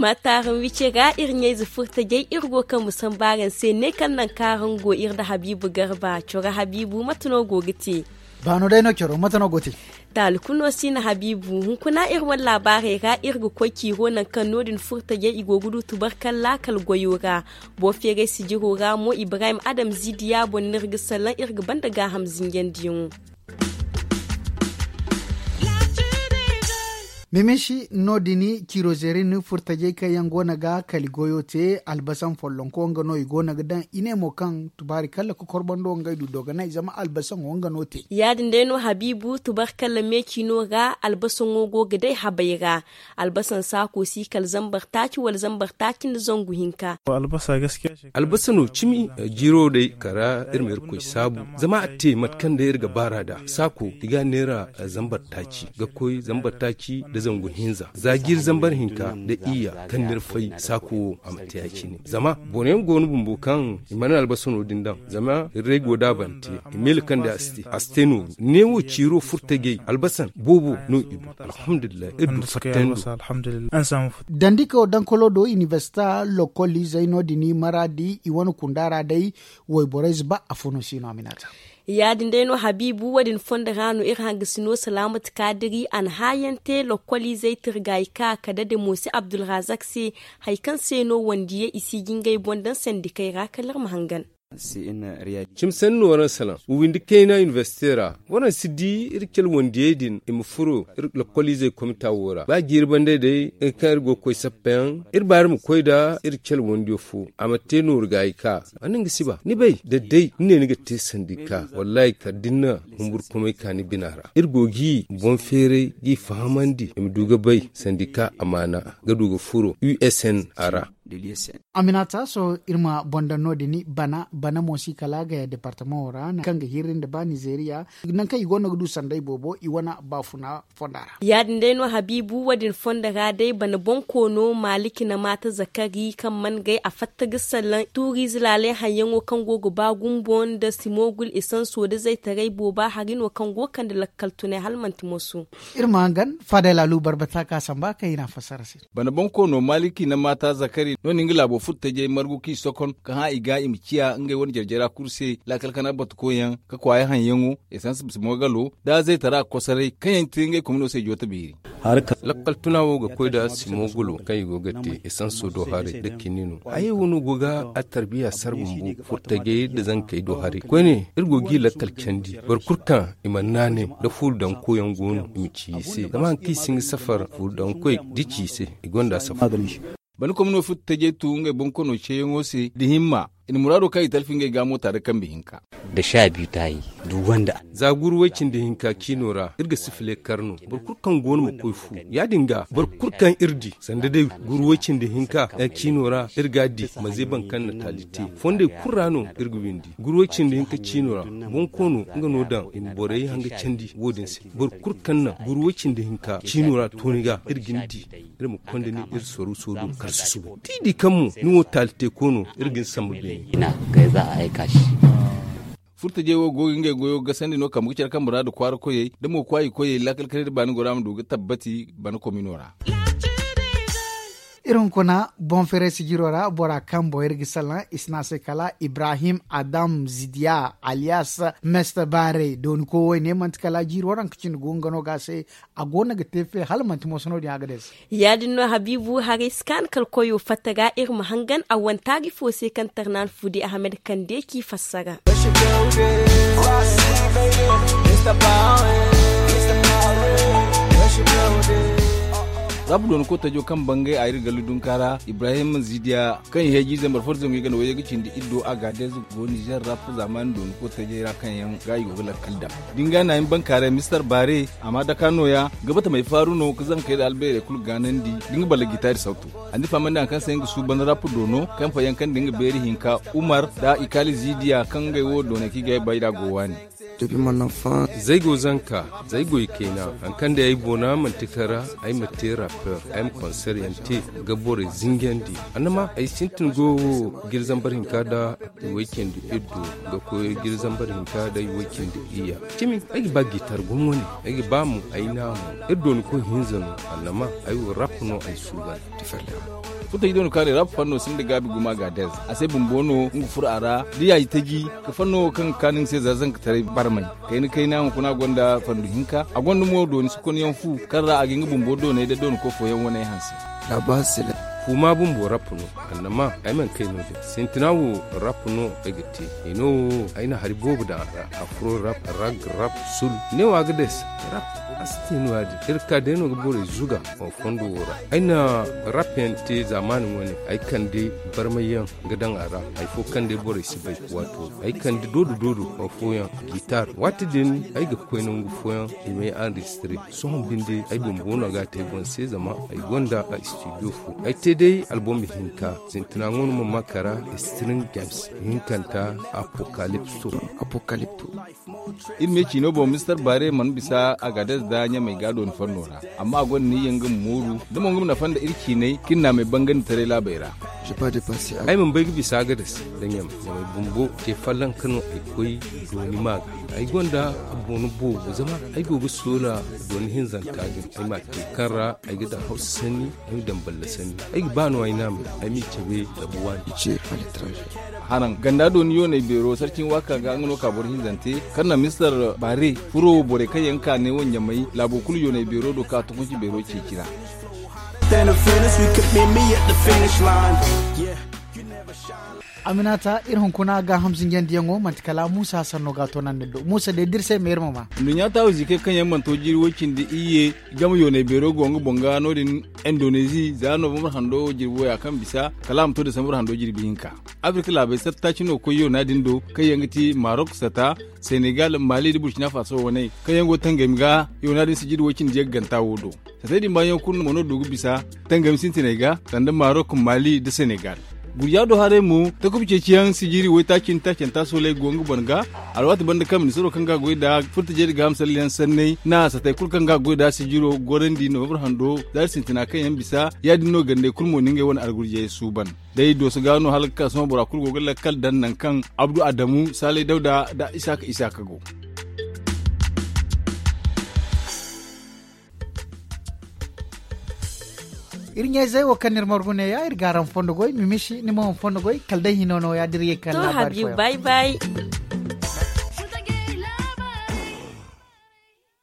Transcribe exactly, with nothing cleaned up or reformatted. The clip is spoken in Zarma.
Maataaraŋ wice ga iri ɲayze furtajey iri go ga kaŋ ma sambu araŋ se ne kaŋ nangu kaŋ araŋ go iri nda habiibu garba coro habiibu mate no go ga te? Baano day no coro mate no go ga te? Taali kulu no si no habiibu hunkuna iri wane laabaarey ra iri ga koy ciiro nangu kaŋ no- din furtajey i go ga du tubarkalla kala goyo ra. Boro feeray sijiro ra mo ibrahim adam zidiya boŋ no iri ga salaŋ iri ga banda gaaham zinjandiyaŋo. Mimishi no- din ciiro zeerin furtajey kaŋ yaŋ go no ga kali goyo te albasaŋ follonko nga no i go no ga daŋ i ne mo kaŋ tubaari kalla kokorbando ngey du dogonay zama albasaŋo nga no te. Ya- din day no habiibu tubarkalla meeci no ra albasaŋo go ga day habay ra. Albasaŋ saako si kala zambar taaci wala zambar taaci nda zangu hinka. Albasa no cimi jiiro day kara iri ma irkoy saabu zama a te mate kaŋ day iri ga baar'a da saako i ga a neera zambar taaci ga koy zambar taaci nda zangu hinza za jiiri zambar hinka nda iyya kaŋ n'iri fay saako wo a ma te ya- cine zama boro yaŋ go no bumbo kaŋ i mana albasa no- din daŋ zama iri day go da a bante i miila kaŋ day a si te a si te nooru neewo ciiro furtajey albasaŋ boobo no i du. Alhamdulillahi iri du fattandi. Dandi ka dankolo do inibersita lokoliizey no- din maraadi i wane kunda ra day. Wayborey ze ba afo no si no a ma i naata. Ya- din day no habiibu wo- din fondo ra no iri hangasino salaamatu kaadiri a na haayaŋ te lokoliizey tirgaayi ka kala dade mo se abdulrazak se. Hari kaŋ se no wandiyey i si ga ngey boŋ daŋ sandikey ra kala iri ma hangan. Cimi sanni no waraŋ salaŋ wawindi kayna inibersite ra. Waraŋ si di iri cale wandiyey din i ma furo iri lokoliizey komita wo ra ba jiiri banda day iri kaŋ iri go ga koy sappayaŋ iri baari ma koy nda iri cale wandiyo fo a ma te nooru gaayi ka. Wane nga si ba ni bay da day ni ne ni ga te sandika wallaahi kala da ni na humburkumay ka ni bina ra iri go ga i boŋ feeray ga i fahamandi i ma du ga bay sandika amaana ga du ga furo usn a ra. Aminata sohõ iri ma boŋ daŋ no- din bana bana mo si kala gaya departamaŋo ra kaŋ ga hirri nda ba nizeeriya. Nangu kaŋ i go no ga du sanday boobo i wane baafuna fonda ra. Ya- din day no habiibu wo- din fonda ra day bana boŋ koono maaliki na maata zakari kaŋ mana gay a fatta ga salaŋ tuuriize laalay haŋyaŋo kaŋ go ga ba gumbo nda simogul esanso nda zaytaray booba hari no kaŋ go ga kande lakkal tunay hala manti moso. Iri ma hangan faadey laalu barbata ka samba kaŋ i na a fassara se. Bana boŋ koono maaliki na maata zakari no- din nga laabo furtajey margu kaŋ i sokon ka hã i ga i ma ciya ngey wane jarjara kulu se laakal kana batukoyyaŋ ka kwaaya haŋyaŋo esans simogalo da zaytara kosoray kaŋ yaŋ ti ngey komino se joote beeri. Lakkal tuna wo ga koy nda simogalo kaŋ i go ga te esanso do haray nda kiniino hayey wo no go ga attarbiya sara bumbo furtajey nda zankey do haray koyne iri go ga i lakkal candi boro kulu kaŋ i mana naanay nda fuuru daŋ koyyaŋ go no i ma ci i se zama hari kaŋ i si hin ga safar fuuru daŋ koy da i ci i se i gonda safar. Bana komino furtajey tu ngey boŋ kono ceeyaŋo se nda himma i na muraado kaŋ i talfi ngey ga moota nda kambe hinka. Za guru way cindi hinka ciino ra iri ga sifile kar no boro kulu kaŋ go no ma koy fu ya- din ga boro kulu kaŋ iri di sanda day guru way cindi hinka ciino ra iri ga a di ma zeeban kaŋ na taali te fondey kulu ra no iri ga windi guru way cindi hinka ciino ra boŋ koono nga no daŋ i ma borey hanga candi wo- din se boro kulu kaŋ naŋ guru way cindi hinka ciino ra tooni ga iri ga ni di iri ma konda ni iri soru soru kar susubo da i di kaŋ mo ni wo taali te koono iri ga ni sambu beene. Furtajey wo go ga ngey goyo gasandi no kambe ga care kaŋ muraadu kwaara koyey da mo kwaayi koyey laakal kanay da baani gora ma du ga tabbati bana komino ra. Iri hunkuna boŋ feeray sijiro ra bora kaŋ boŋ iri ga salaŋ i si ne a se kala ibrahim adam zidiya aliyas mester baarey dooni ko wo- ne manti kala jiiri waranka cindi go nga no ga a se. A go no ga te fe hala manti mooso no- din a ga day se. Ya- din no habiibu haray si kaanu kala koyo fatta ga iri ma hangan a wane taari fo se kaŋ tarnaani fuudi ahamed kande k'i fassara. Rap dooni kotajo kaŋ bangay a iri gallu dunka ra ibrahim zidiya kaŋ i heeji zambar fo da zangu i ganda wayye ga cindi iddo a ga deeze go nizer rap zaamaani dooni kotajey ra kaŋ yaŋ ga i go ga lakkal daŋ da ni ga a na hin bankaaray mister baare. Amma daka nooya ga bata may faaru no ga zankey nda albeerey kulu gaanandi da nga balla gitaari sawtu. A na ni fahamandi hari kaŋ se nga suuban rap doono kaŋ fayyaŋ kaŋ nda nga beeri hinka umar nda i kaali ziidiya kaŋ ngey wo dooney kaŋ i ga ay bay nd'a go waani. Zaygo zanka, zaygo i kayna, hari kaŋ day ay boona manti kara, ay ma te rapper, ay ma konser yaŋ te, ga borey zinjandi. Annama ay sintin go wo, jiri zambar hinka nda i way cindi iddu, ga koy jiri zambar hinka nda i way cindi iyya. Cimi, ay ga ba gitar gumo ne, ay ga ba mo ay na mo. Iri dooni koy hinza no, annama ay wo rap no ay suuban. Futa i dooni kaari rap fanno sinda gaabi gumo a ga dez. A se bumbo no nga furo a ra da yaaji taji, ka fanno kaŋ ga kaanu nga se za zankataray barmay. Kayna kayna hunkuna gonda fandu hinka, a gonda mo dooni sokonyaŋ fu, kaŋ ra a ga nga bumbo doonay da dooni koy fooyaŋ wane hanse. Fuuma bumbo rap no, annama ay mana kay no din. Sintina wo rap no ay ga te. Hino wo ay na hari boobo daŋ a ra. Afro rap, rag rap, sul. Ne wo a ga day se rap. A si te no ya-din. Iri ka day no ga borey zuga fondo wo ra. Ay na rap yaŋ te zaamaani wane. Ay kande barmay yaŋ ga daŋ a ra. Hay fo kaŋ day borey si bay. Waato ay kande doodo doodo fooyaŋ gitar. Waati din ay ga koy nangu fooyaŋ i m'ay enregistré. Sohõ binde ay bumbo no ga a te ay boŋ se zama ay gonda a studio fo. Ay te day album hinka. Sintina ŋo no ma ma kara string games. Hinkanta apocalypto. Iri me ciino boŋ mister bare mana bisa a ga dez da ɲamay ga dooni fanno ra. Amma a gonda ni yaŋ ga ma mooru da mo nga ma nafa nda iri ciinay kaŋ iri na a may bangandi taray laabey ra. Ay mana bay ga bisa a ga dez da ɲamay. Ɲamay bumbo ce fallanka no ay koy dooni ma ga. Ay gonda a boŋ boobo zama ay go ga soola dooni hinzanta din. Ay ma te kaŋ ra ay ga daŋ hawsa sanni, ay ma daŋ balla sanni. Ay ga ba no ay naamay ay m'i cabe da buwaani. Haraŋ ganda dooni yoonay beero sarcin waaka ga nga no ka boro hinzante kaŋ na mister bare furo borey kaŋ yaŋ ka ne wo ɲamay laabo kulu yoonay beero do ka tukunci beero ceeci ra. Aminata, iri hunkuna gaaham zinjandiyaŋo manti kala muusa sanno ga a toonandi do muusa day da iri se ma iri ma ma. Nduɲɲa taahu ziikey kaŋ yaŋ mana to jiiri woy cindi iyye game yoonay beero go nga boŋ ga no- din indoneezi za novembre hando jirbi woya kaŋ bisa kala a ma to desambre hando jirbi hinka. Afirka laabey satta cino koy yoona din do kaŋ yaŋ ga ti marok sata, senegal, mali nda burkina faso wane kaŋ yaŋ go tangami ga yoona din sijiri woy cindi yaŋ ga ganta wo do. Satay din baayaŋo kulu mo no du ga bisa tangami sintiney ga sanda marok, mali nda senegal. Gurja do haray mo takuba ceeciyaŋ sijiri waytaaci nda taacanta sooley go nga boro ga. Alwaati banda kaŋ ministiro kaŋ ga goy nda furtajey nda gaaham sallayaŋ sanney na satay kulu kaŋ ga goy nda sijiro gorandi novembre hando zaari sintina kaŋ yaŋ bisa ya- din no gandey kulu mo na ngey wane algurjey suuban. Day dooso ga no hala ga ka sohõ bora kulu go ga lakkal daŋ nangu kaŋ abdu adamu saalay dawda nda isaaka isaaka go. Iri ɲayzey wo kaŋ no iri margu neeya iri g'araŋ fondo goy mimisi ni mo ma fondo goy kala day hino no ya- din iri ye kaŋ laabaari fooyaŋ.